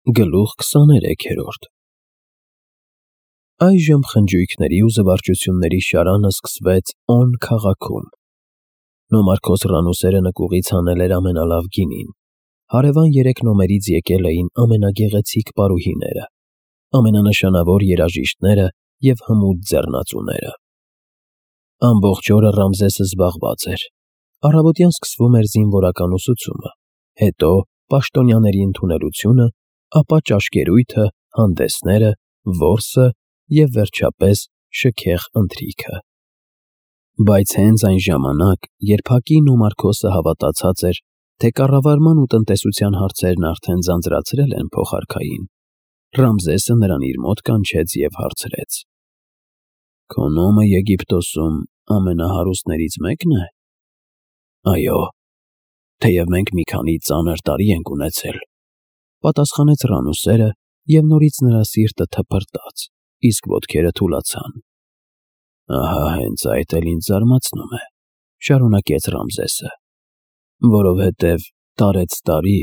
Գլուխ 23-րդ Այժմ խնջույքների ու զվարճությունների շարանը սկսվեց On քաղաքում։ Նոմարքոս Ռանուսերը նկուղից հանել էր ամենալավ գինին, հարևան 3 նոմերից եկել էին ամենագեղեցիկ պարուհիները, ամենանշանավոր երաժիշտները և հմուտ ձեռնածուները։ Ամբողջ օրը Ռամզեսը զբաղված էր։ Առավոտյան սկսվում էր զինվորական ուսուցումը, հետո պաշտոնյաների ընդունելությունը, ապա ճաշկերույթը, հանդեսները, որսը և վերջապես շքեղ ընթրիքը։ Բայց հենց այն ժամանակ, երբ Հակի Նոմարքոսը հավատացած էր, թե կառավարման ու տնտեսության հարցերն արդեն ձանձրացրել են փոխարքային, Ռամզեսը նրան իր մոտ կանչեց և հարցրեց. «Քո նոմը Եգիպտոսում ամենահարուստներից մեկն է»։ «Այո, թեև մենք մի քանի ծանր տարի ենք ունեցել», պատասխանեց Ռանուսերը, և նորից նրա սիրտը թպրտաց, իսկ ոտքերը թուլացան։ «Ահա հենց այդ էլ ինձ զարմացնում է», շարունակեց Ռամզեսը, «որովհետև տարեցտարի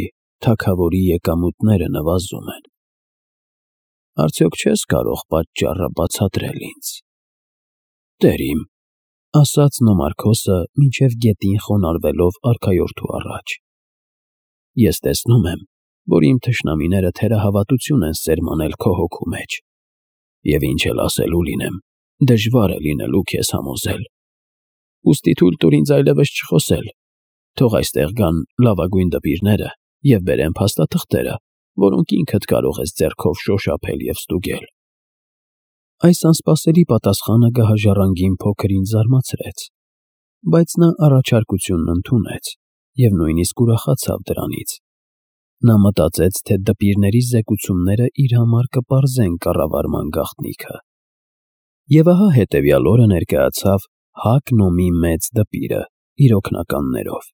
թագավորի եկամուտները նվազում են։ Արդյոք չես կարող պատճառը բացատրել ինձ»։ «Տեր իմ», ասաց Նոմարքոսը, մինչև գետին խոնարհվելով արքայորդու առաջ, «ես տեսնում եմ, որ իմ թշնամիները թերահավատություն են սերմանել քո հոգու մեջ, և ինչ էլ ասելու լինեմ, դժվար է լինելու քեզ համոզել։ Ուստի թույլ տուր ինձ այլևս չխոսել, թող այստեղ գան լավագույն դպիրները և բերեն փաստաթղթերը, որոնք ինքդ կարող ես ձեռքով շոշափել և ստուգել»։ Այս անսպասելի պատասխանը գահաժառանգին փոքր ինչ զարմացրեց, բայց նա առաջարկությունն ընդունեց և նույնիսկ ուրախացավ դրանից։ Նա մտածեց, թե դպիրների զեկուցումները իր համար կպարզեն կառավարման գաղտնիքը։ Եվ ահա հետևյալ օրը ներկայացավ Հակ Նոմի մեծ դպիրը իր օգնականներով,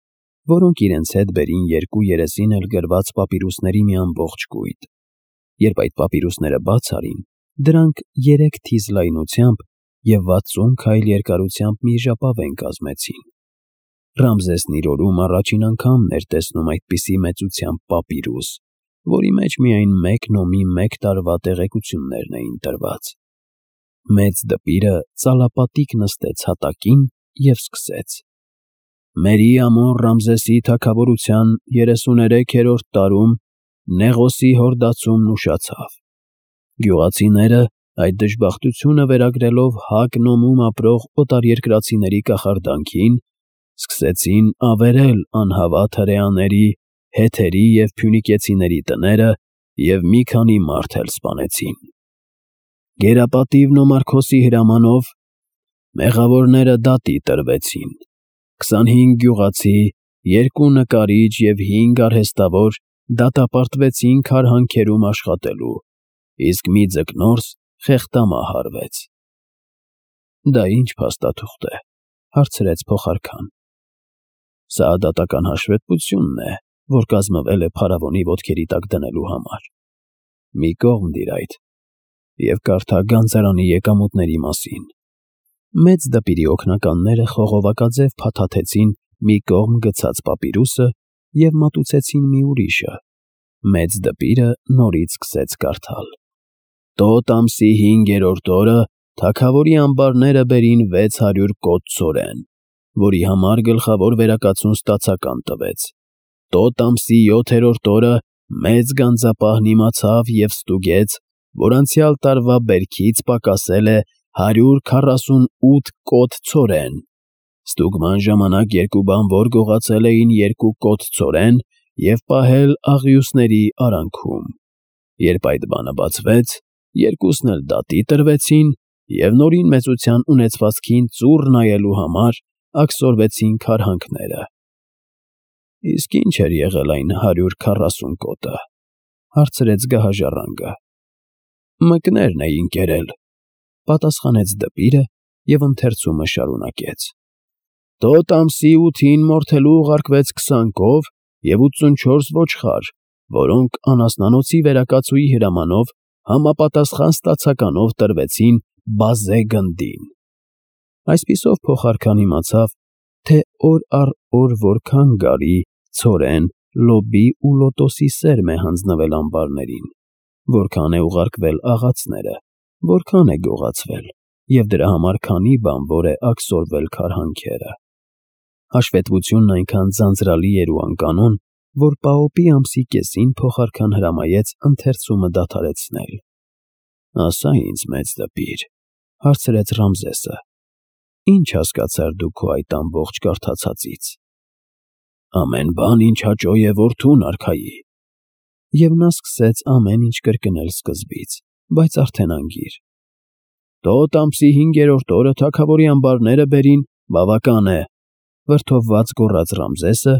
որոնք իրենց հետ բերին 2 երեսին էլ գրված պապիրուսների մի ամբողջ կույտ։ Երբ այդ պապիրուսները բաց արին, դրանք 3 թիզ լայնությամբ և 60 քայլ երկարությամբ մի ժապավեն կազմեցին։ Ռամզեսն իր օրում առաջին անգամն էր տեսնում այդպիսի մեծությամբ պապիրուս, որի մեջ միայն 1 նոմի 1 տարվա տեղեկություններն էին տրված։ Մեծ դպիրը ծալապատիկ նստեց հատակին և սկսեց. «Մերի ամոն Ռամզեսի թագավորության 33-րդ տարում Նեղոսի հորդացումն ուշացավ։ Գյուղացիները, այդ դժբախտությունը վերագրելով Հակ Նոմում ապրող օտարերկրացիների կախարդանքին, սկսեցին ավերել անհավատ հրեաների, հեթերի և փյունիկեցիների տները և մի քանի մարդ էլ սպանեցին։ Գերապատիվ Նոմարքոսի հրամանով մեղավորները դատի տրվեցին։ 25 գյուղացի, 2 նկարիչ և 5 արհեստավոր դատապարտվեցին քարհանքերում աշխատելու, իսկ մի ձկնորս խեղդամահ արվեց»։ «Դա ի՞նչ փաստաթուղթ է», հարցրեց փոխարքան։ «Սա դատական հաշվետվությունն է, որ կազմվել է փարավոնի ոտքերի տակ դնելու համար։ Մի կողմ դիր այդ և կարդա գանձարանի եկամուտների մասին»։ Մեծ դպիրի օգնականները խողովակաձև փաթաթեցին մի կողմ գցած պապիրուսը և մատուցեցին մի ուրիշը։ Մեծ դպիրը նորից սկսեց կարդալ. «Տոտ ամսի 5-րդ օրը թագավորի ամբարները բերին 600 կոծ ցորեն, որի համար գլխավոր վերակացուն ստացական տվեց։ Տոտ ամսի 7-րդ օրը մեծ գանձապահն իմացավ և ստուգեց, որ անցյալ տարվա բերքից պակասել է 148 կոտ ցորեն։ Ստուգման ժամանակ 2 բանվոր գողացել էին 2 կոտ ցորեն և պահել աղյուսների արանքում։ Երբ այդ բանը բացվեց, երկուսն էլ դատի տրվեցին և նորին մեծության ունեցվածքին ծուռ նայելու համար աքսորվեցին քարհանքները»։ «Իսկ ի՞նչ էր եղել այն 140 կոտը», հարցրեց գահաժառանգը։ «Մկներն էին կերել», պատասխանեց դպիրը և ընթերցումը շարունակեց. «Տոտ ամսի 8-ին մորթելու ուղարկվեց 20 կով և 84 ոչխար, որոնք անասնանոցի վերակացուի հրամանով համապատասխան ստացականով տրվեցին բազե գնդին»։ Այսպիսով փոխարքան իմացավ, թե օր առ օր որքան գարի, ցորեն, լոբի ու լոտոսի սերմ է հանձնվել ամբարներին։ որքան է ուղարկվել աղացները, որքան է գողացվել, և դրա համար քանի բան որ է աքսորվել քարհանքերը։ Հաշվետվությունն այնքան ձանձրալի էր ու անկանոն, որ Պաոպի ամսի կեսին փոխարքան հրամայեց ընթերցումը դադարեցնել։ «Ասա ինձ, մեծ դպիր», հարցրեց Ռամզեսը, «ինչ հասկացար դու քո այդ ամբողջ կարդացածից»։ «Ամեն բան, ինչ հաճո է որդուն արքայի»։ Եվ նա սկսեց ամեն ինչ կրկնել սկզբից, բայց արդեն անգիր։ «Տոտ ամսի 5-րդ օրը թագավորի ամբարները բերին, բավական է», վրդովված գոռաց Ռամզեսը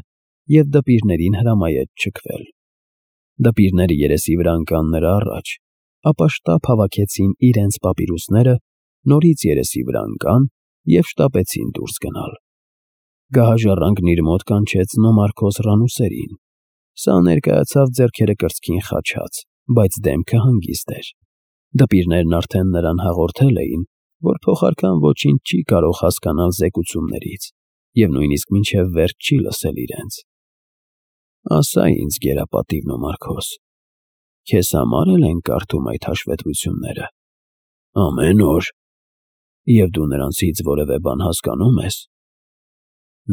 և դպիրներին հրամայեց չքվել։ Դպիրները երեսի վրա ընկան նրա առաջ, ապա շտապ հավաքեցին իրենց պապիրուսները, նորից երեսի վրա ընկան և շտապեցին դուրս գնալ։ Գահաժառանգն իր մոտ կանչեց Նոմարքոս Ռանուսերին։ Սա ներկայացավ ձեռքերը կրծքին խաչած, բայց դեմքը հանգիստ էր։ Դպիրներն արդեն նրան հաղորդել էին, որ փոխարքան ոչինչ չի կարող հասկանալ զեկուցումներից և նույնիսկ մինչև վերջ չի լսել իրենց։ «Ասա ինձ, գերապատիվ Նոմարքոս, քեզ համար էլ են կարդում այդ հաշվետվությունները»։ «Ամեն օր»։ «Եվ դու նրանցից որևէ բան հասկանում ես»։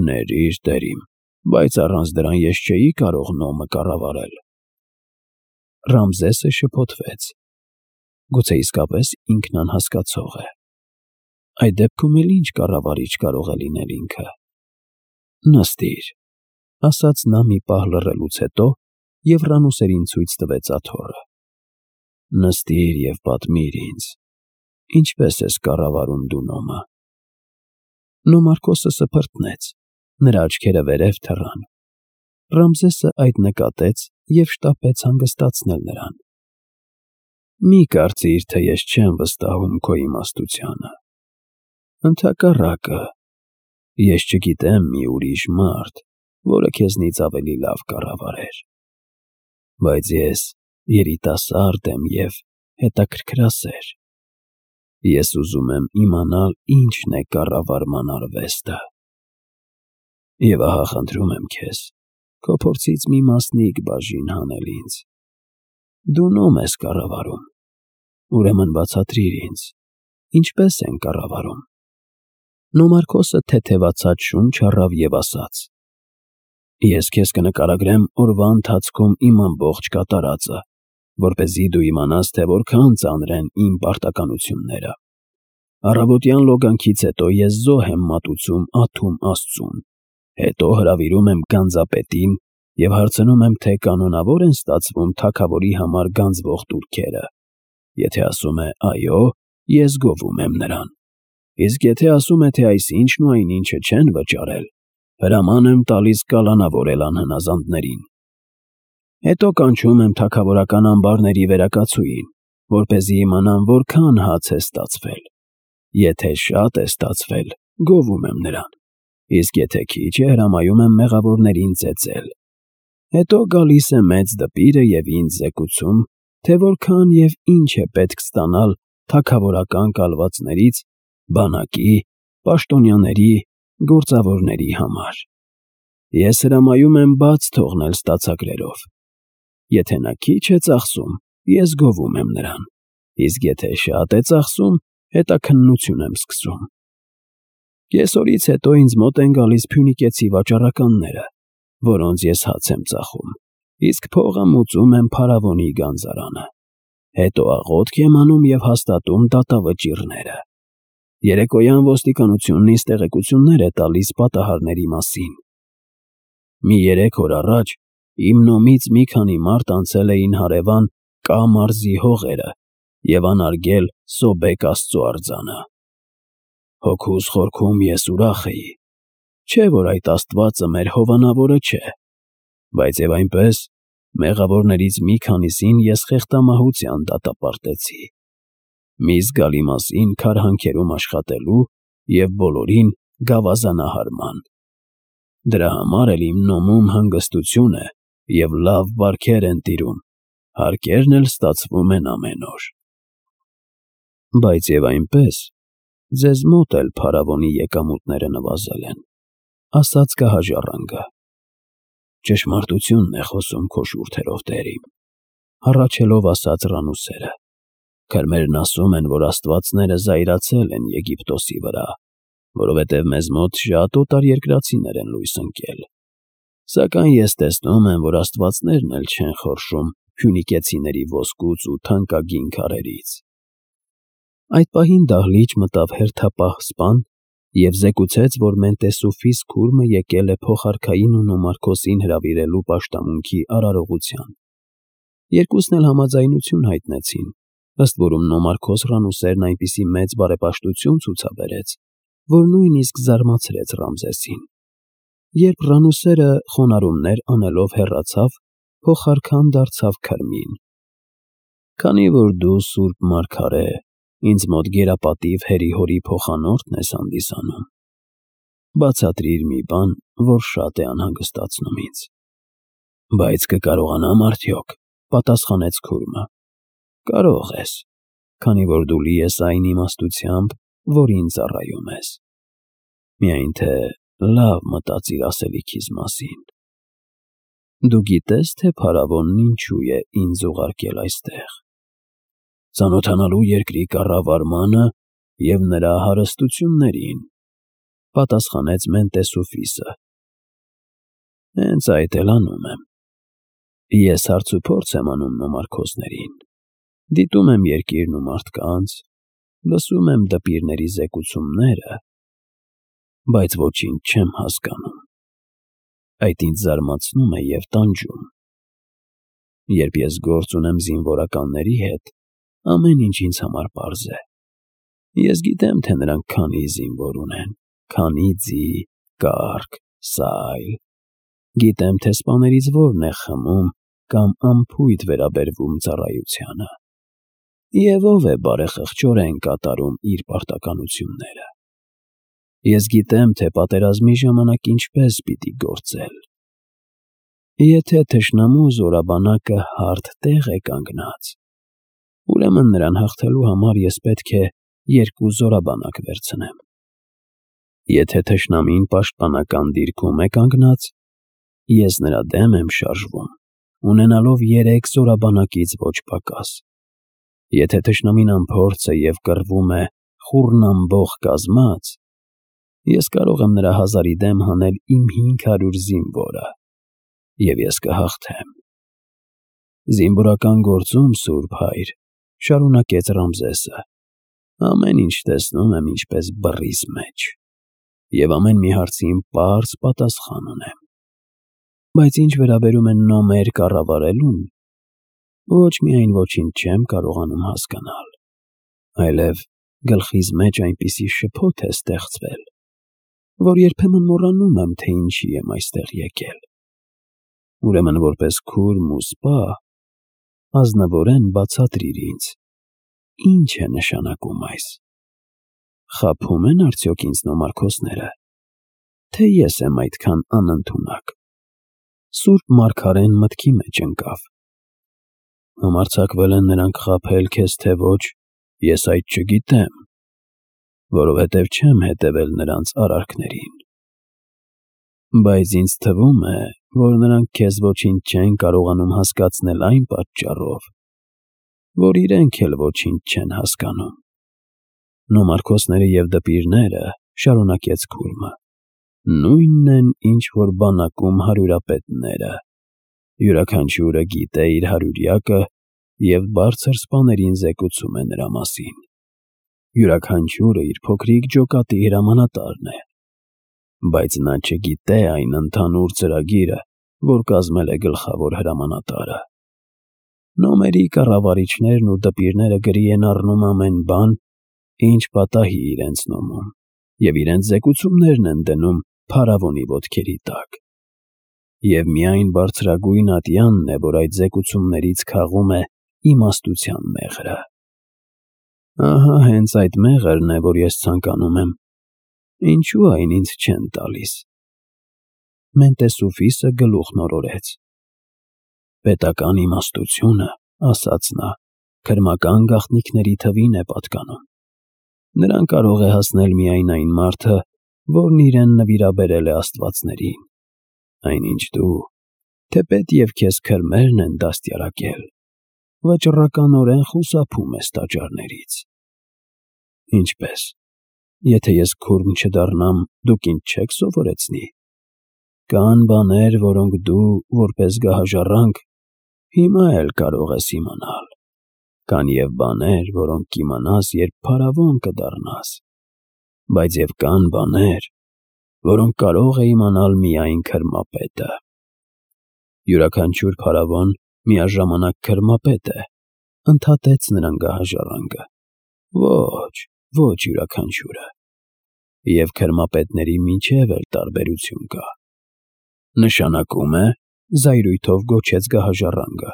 «Ներիր, տեր իմ, բայց առանց դրան ես չէի կարող Նոմը կառավարել»։ Ռամզեսը շփոթվեց։ Գուցե իսկապես ինքն անհասկացող է։ Այդ դեպքում էլ ինչ կառավարիչ կարող է լինել ինքը։ «Նստիր», ասաց նա մի պահ լռելուց հետո և Ռանուսերին ցույց տվեց աթոռը։ «Նստիր և պատմիր ինձ, ինչպես ես կառավարում դու Նոմը»։ Նոմարքոսը սփռտնեց, նրա աչքերը վերև թռան։ Ռամզեսը այդ նկատեց և շտապեց հանգստացնել նրան։ «Մի կարծիր, թե ես չեմ վստահում քո իմաստությանը։ Ընդհակառակը, ես չգիտեմ մի ուրիշ մարդ, որը քեզնից ավելի լավ կառավարեր։ Բայց ես երիտասարդ եմ և հետաքրքրասեր։ Ես ուզում եմ իմանալ ինչն է կառավարման արվեստը։ Եվ ահա խնդրում եմ քեզ քո փորձից մի մասնիկ բաժին հանել ինձ։ Դու Նոմ ես կառավարում, ուրեմն բացատրիր ինձ, ինչպես են կառավարում»։ Նոմարքոսը թեթևացած շունչ առավ և ասաց. «Ես քեզ կնկարագրեմ օրվա ընթացքում իմ ամբողջ կատարածը, որպեսզի դու իմանաս, թե որքան ծանր են իմ պարտականությունները։ Առավոտյան լոգանքից հետո ես զոհ եմ մատուցում Աթում աստծուն, հետո հրավիրում եմ գանձապետին և հարցնում եմ, թե կանոնավոր են ստացվում թագավորի համար գանձվող տուրքերը։ Եթե ասում է այո, ես գովում եմ նրան։ Իսկ եթե ասում է, թե այսինչն ու այնինչը չեն վճարել, հրաման եմ տալիս կալանավորել անհնազանդներին։ Հետո կանչում եմ թագավորական ամբարների վերակացուին, որպեսզի իմանամ որքան հաց է ստացվել։ Եթե շատ է ստացվել, գովում եմ նրան, իսկ եթե քիչ է, հրամայում եմ մեղավորներին ծեծել։ Հետո գալիս է մեծ դպիրը և ինձ զեկուցում, թե որքան և ինչ է պետք ստանալ թագավորական կալվածներից, բանակի, պաշտոնյաների, գործավորների համար։ Ես հրամայում եմ բաց թողնել ստացագրերով։ Եթե նա քիչ է ծախսում, ես գովում եմ նրան, իսկ եթե շատ է ծախսում, հետաքննություն եմ սկսում։ Կեսօրից հետո ինձ մոտ են գալիս փյունիկեցի վաճառականները, որոնց ես հաց եմ ծախում, իսկ փողը մուծում եմ փարավոնի գանձարանը։ Հետո աղոթք եմ անում և հաստատում դատավճիռները։ Երեկոյան ոստիկանությունն ինձ տեղեկություններ է տալիս պատահարների մասին։ Մի 3 օր առաջ իմ Նոմից մի քանի մարդ անցել էին հարևան Կա մարզի հողերը և անարգել Սոբեկ աստծու արձանը։ Հոգուս խորքում ես ուրախ էի, չէ՞ որ այդ աստվածը մեր հովանավորը չէ, բայց և այնպես մեղավորներից մի քանիսին ես խեղդամահության դատապարտեցի, մի զգալի մասին քարհանքերում աշխատելու և բոլորին գավազանահարման։ Դրա համար էլ իմ Նոմում հանգստություն է և լավ բարքեր են տիրում, հարկերն էլ ստացվում են ամեն օր։ Բայց և այնպես ձեզ մոտ էլ փարավոնի եկամուտները նվազել են, ասաց գահաժառանգը։ Ճշմարտությունն է խոսում քո շուրթերով, տեր իմ, հառաչելով ասաց Ռանուսերը. «Քրմերն ասում են, որ աստվածները զայրացել են Եգիպտոսի վրա, որովհետև մեզ մոտ շատ օտարերկրացիներ են լույս ընկել։ Սակայն ես տեսնում եմ, որ աստվածներն էլ չեն խորշում փյունիկեցիների ոսկուց ու թանկագին քարերից»։ Այդ պահին դահլիճ մտավ հերթապահ սպան և զեկուցեց, որ Մենտեսուֆիս քուրմը եկել է փոխարքային ու Նոմարքոսին հրավիրելու պաշտամունքի արարողության։ Երկուսն էլ համաձայնություն հայտնեցին, ըստ որում Նոմարքոս Ռանուսերն այնպիսի մեծ բարեպաշտություն ցուցաբերեց, որ նույնիսկ զարմացրեց Ռամզեսին։ Երբ Ռանուսերը խոնարհումներ անելով հեռացավ, փոխարքան դարձավ քրմին. «Քանի որ դու սուրբ մարգարե, ինձ մոտ գերապատիվ հերի-հորի փոխանորդն ես հանդիսանում, բացատրիր մի բան, որ շատ է անհանգստացնում ինձ»։ «Բայց կկարողանամ արդյոք», պատասխանեց քուրմը։ «Կարող ես, քանի որ դու լի ես այն իմաստությամբ, որին ծառայում ես։ Միայն թե լավ մտածիր ասելիքիս մասին։ Դու գիտես, թե փարավոնն ինչու է ինձ ուղարկել այստեղ։ Ծանոթանալու երկրի կառավարմանը և նրա հարստություններին», պատասխանեց Մենտեսուֆիսը։ «Հենց այդ էլ անում եմ։ Ես հարցուփորձ եմ անում Նոմարքոսներին, դիտում եմ երկիրն ու մարդկանց, լսում եմ դպիրների զեկուցումները, բայց ոչինչ չեմ հասկանում։ Այդ ինձ զարմացնում է և տանջում։ Երբ ես գործ ունեմ զինվորականների հետ, ամեն ինչ ինձ համար պարզ է։ Ես գիտեմ, թե նրանք քանի զինվոր ունեն, քանի ձի, կառք, սայլ։ Գիտեմ, թե սպաներից որն է խմում կամ անփույթ վերաբերվում ծառայությանը, և ով է բարեխղճորեն կատարում իր պարտականությունները։ Ես գիտեմ, թե պատերազմի ժամանակ ինչպես պիտի գործել։ Եթե թշնամու զորաբանակը հարթ տեղ է կանգնած, ուրեմն նրան հաղթելու համար ես պետք է երկու զորաբանակ վերցնեմ։ Եթե թշնամին պաշտպանական դիրքում է կանգնած, ես նրա դեմ եմ շարժվում, ունենալով 3 զորաբանակից ոչ պակաս։ Եթե թշնամին անփորձ է և կռվում է խուռնամբող կազմած, ես կարող եմ նրա 1000-ի դեմ հանել իմ 500 զինվորը, և ես կհաղթեմ։ Զինվորական գործում, Սուրբ Հայր, շարունակեց Ռամզեսը, ամեն ինչ տեսնում եմ ինչպես բռիս մեջ, և ամեն մի հարցին պարզ պատասխան ունեմ։ Բայց ինչ վերաբերում է նոմեր կառավարելուն, ոչ միայն ոչինչ չեմ կարողանում հասկանալ, այլև գլխիս մեջ այնպիսի շփոթ է ստեղծվել, որ երբեմն մոռանում եմ, թե ինչի եմ այստեղ եկել։ Ուրեմն որպես քուրմ ու սպա, ազնվորեն բացատրիր ինձ, ինչ է նշանակում այս։ Խաբում են արդյոք ինձ Նոմարքոսները, թե ես եմ այդքան անընդունակ։ Սուրբ մարգարեն մտքի մեջ ընկավ։ Համարձակվել են նրանք խաբել քեզ, թե ոչ, ես այդ չգիտեմ, որովհետև չեմ հետևել նրանց արարքներին։ Բայց ինձ թվում է, որ նրանք քեզ ոչինչ չեն կարողանում հասկացնել այն պատճառով, որ իրենք էլ ոչինչ չեն հասկանում։ Նոմարքոսները և դպիրները, շարունակեց քուրմը, նույնն են, ինչ որ բանակում հարյուրապետները։ Յուրաքանչյուրը գիտե իր հարյուրյակը և բարձր սպաներին զեկուցում է նրա մասին։ Յուրաքանչյուրը իր փոքրիկ ջոկատի հրամանատարն է, բայց նա չգիտե այն ընդհանուր ծրագիրը, որ կազմել է գլխավոր հրամանատարը։ Նոմերի կառավարիչներն ու դպիրները գրի են առնում ամեն բան, ինչ պատահի իրենց նոմում, և իրենց զեկուցումներն են դնում փարավոնի ոտքերի տակ։ Եվ միայն բարձրագույն ատյանն է, որ այդ զեկուցումներից քաղում է իմաստության մեղրը։ Ահա հենց այդ մեղրն է, որ ես ցանկանում եմ։ Ինչու այն ինձ չեն տալիս։ Մենտեսուֆիսը գլուխն օրորեց։ Պետական իմաստությունը, ասաց նա, քրմական գաղտնիքների թվին է պատկանում։ Նրան կարող է հասնել միայն այն մարդը, որն իրեն նվիրաբերել է աստվածներին, այնինչ դու, թեպետ և քեզ քրմերն են դաստիարակել, վճռականորեն խուսափում ես տաճարներից։ Ինչպես, եթե ես քուրմ չդառնամ, դուք ինձ չեք սովորեցնի։ Կան բաներ, որոնք դու, որպես գահաժառանգ, հիմա էլ կարող ես իմանալ։ Կան և բաներ, որոնք կիմանաս, երբ փարավոն կդառնաս։ Բայց և կան բաներ, որոնք կարող է իմանալ միայն քրմապետը։ Յուրաքանչյուր փարավոն միաժամանակ քրմապետ է, ընդհատեց նրան գահաժառանգը։ Ոչ յուրաքանչյուրը։ Եվ քրմապետների միջև էլ տարբերություն կա։ Նշանակում է, զայրույթով գոչեց գահաժառանգը,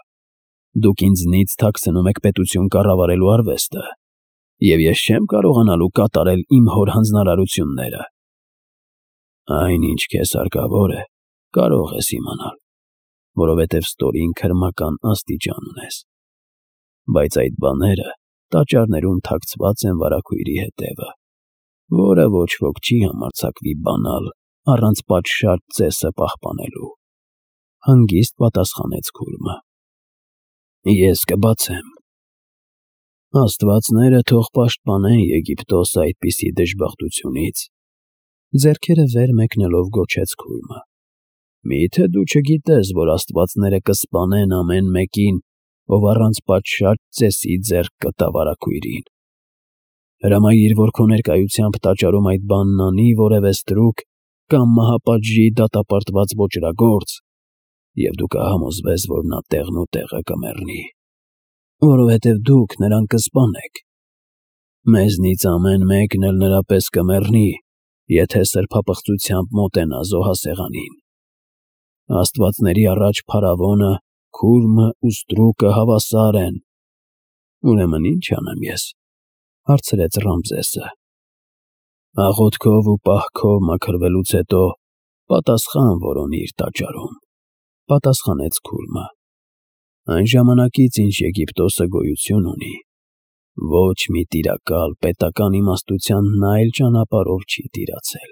դուք ինձնից թաքցնում եք պետություն կառավարելու արվեստը, և ես չեմ կարողանալու կատարել իմ հոր հանձնարարությունները։ Այն, ինչ քեզ հարկավոր է, կարող ես իմանալ, որովհետև ստորին քրմական աստիճան ունես։ Բայց այդ բաները տաճարներում թաքցված են վարագույրի հետևը, որը ոչ ոք չի համարձակվի բանալ առանց պատշաճ ծեսը պահպանելու։ Հանգիստ պատասխանեց քուրմը։ Ես կբացեմ։ Աստվածները թող պաշտպանեն Եգիպտոսը այդպիսի դժբախտությունից, ձեռքերը վեր մեկնելով գոչեց քուրմը։ Մի՞թե դու չգիտես, որ աստվածները կսպանեն ամեն մեկին, ով առանց պատշաճ ծեսի ձեռք կտա վարագույրին։ Հրամայիր, որ քո ներկայությամբ տաճարում այդ բանն անի որևէ ստրուկ կամ մահապատժի դատապարտված ոճրագործ, և դու կհամոզվես, որ նա տեղն ու տեղը կմեռնի, որովհետև դուք նրան կսպանեք։ Մեզնից ամեն մեկն էլ նրա պես կմեռնի, եթե սրբապղծությամբ մոտենա զոհասեղանին։ Աստվածների առաջ փարավոնը, քուրմը ու ստրուկը հավասար են։ Ուրեմն ի՞նչ անեմ ես, հարցրեց Ռամզեսը։ Աղոթքով ու պահքով մաքրվելուց հետո պատասխան որոնիր տաճարում, պատասխանեց քուրմը։ Այն ժամանակից, ինչ Եգիպտոսը գոյություն ունի, ոչ մի տիրակալ պետական իմաստությանն այլ ճանապարհով չի տիրացել։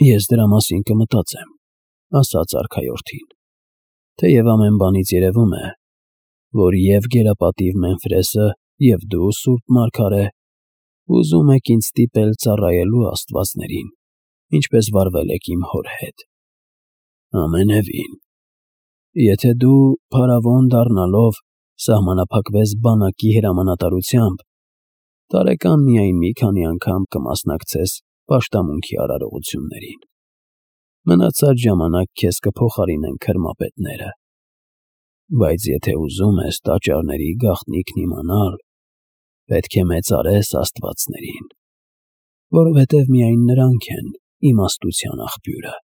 Ես դրա մասին կմտածեմ, ասաց արքայորդին, թեև ամեն բանից երևում է, որ և գերապատիվ Մեմֆրեսը, և դու, սուրբ մարգարե, ուզում եք ինձ ստիպել ծառայելու աստվածներին, ինչպես վարվել եք իմ հոր հետ։ Ամենևին, եթե դու, փարավոն դառնալով, սահմանափակվես բանակի հրամանատարությամբ, տարեկան միայն մի քանի անգամ կմասնակցես պաշտամունքի արարողություններին։ Մնացած ժամանակ քեզ կփոխարինեն քրմապետները։ Բայց եթե ուզում ես տաճարների գաղտնիքն իմանալ, պետք է մեծարես աստվածներին, որովհետև միայն նրանք են իմաստության աղբյուրը։